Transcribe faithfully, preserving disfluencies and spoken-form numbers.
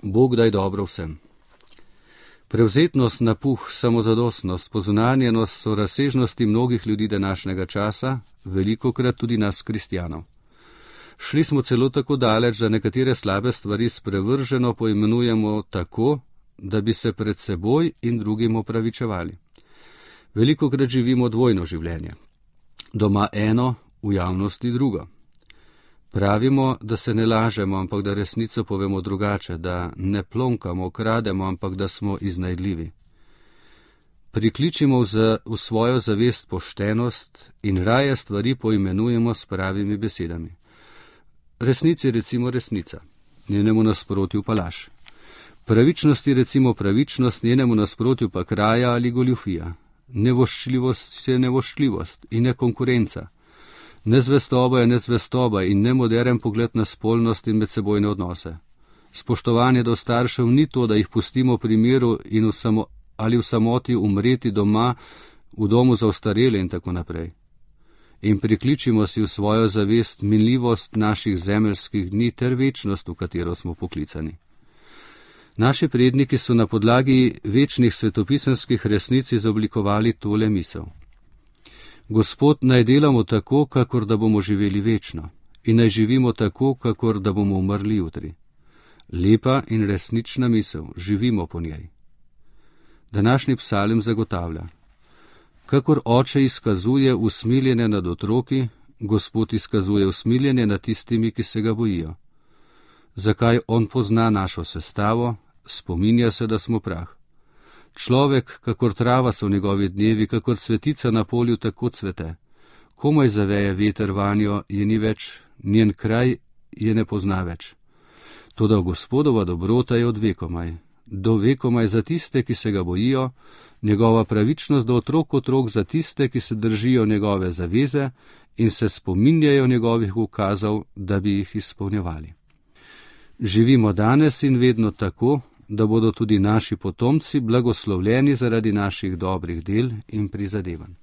Bog daj dobro vsem. Prevzetnost, napuh, samozadostnost, pozunanjenost so razsežnosti mnogih ljudi današnjega časa, velikokrat tudi nas kristjanov. Šli smo celo tako daleč, da nekatere slabe stvari sprevrženo poimenujemo tako, da bi se pred seboj in drugim opravičevali. Velikokrat živimo dvojno življenje. Doma eno, v javnosti drugo. Pravimo, da se ne lažemo, ampak da resnico povemo drugače, da ne plonkamo, krademo, ampak da smo iznajdljivi. Prikličimo v, za, v svojo zavest poštenost in raje stvari poimenujemo s pravimi besedami. Resnici recimo resnica, njenemu nasprotju pa laž. Pravičnosti recimo pravičnost, njenemu nasprotju pa kraja ali goljufija. Nevoščljivost je nevoščljivost in ne konkurenca. Nezvestoba je nezvestoba in nemoderen pogled na spolnost in medsebojne odnose. Spoštovanje do staršev ni to, da jih pustimo pri miru in v samo, ali v samoti umreti doma, v domu za ostarele in tako naprej. In prikličimo si v svojo zavest minljivost naših zemeljskih dni ter večnost, v katero smo poklicani. Naši predniki so na podlagi večnih svetopisemskih resnic izoblikovali tole misel. Gospod, naj delamo tako, kakor da bomo živeli večno, in naj živimo tako, kakor da bomo umrli jutri. Lepa in resnična misel, živimo po njej. Današnji psalm zagotavlja. Kakor oče izkazuje usmiljenje nad otroki, Gospod izkazuje usmiljenje nad tistimi, ki se ga bojijo. Zakaj on pozna našo sestavo, spominja se, da smo prah. Človek, kakor trava so njegovi dnevi, kakor cvetica na polju, tako cvete. Komaj zaveje veter vanjo, je ni več, njen kraj je ne pozna več. Toda Gospodova dobrota je od vekomaj, do vekomaj za tiste, ki se ga bojijo, njegova pravičnost do otrok otrok za tiste, ki se držijo njegove zaveze in se spominjajo njegovih ukazov, da bi jih izpolnjevali. Živimo danes in vedno tako, da bodo tudi naši potomci blagoslovljeni zaradi naših dobrih del in prizadevanj.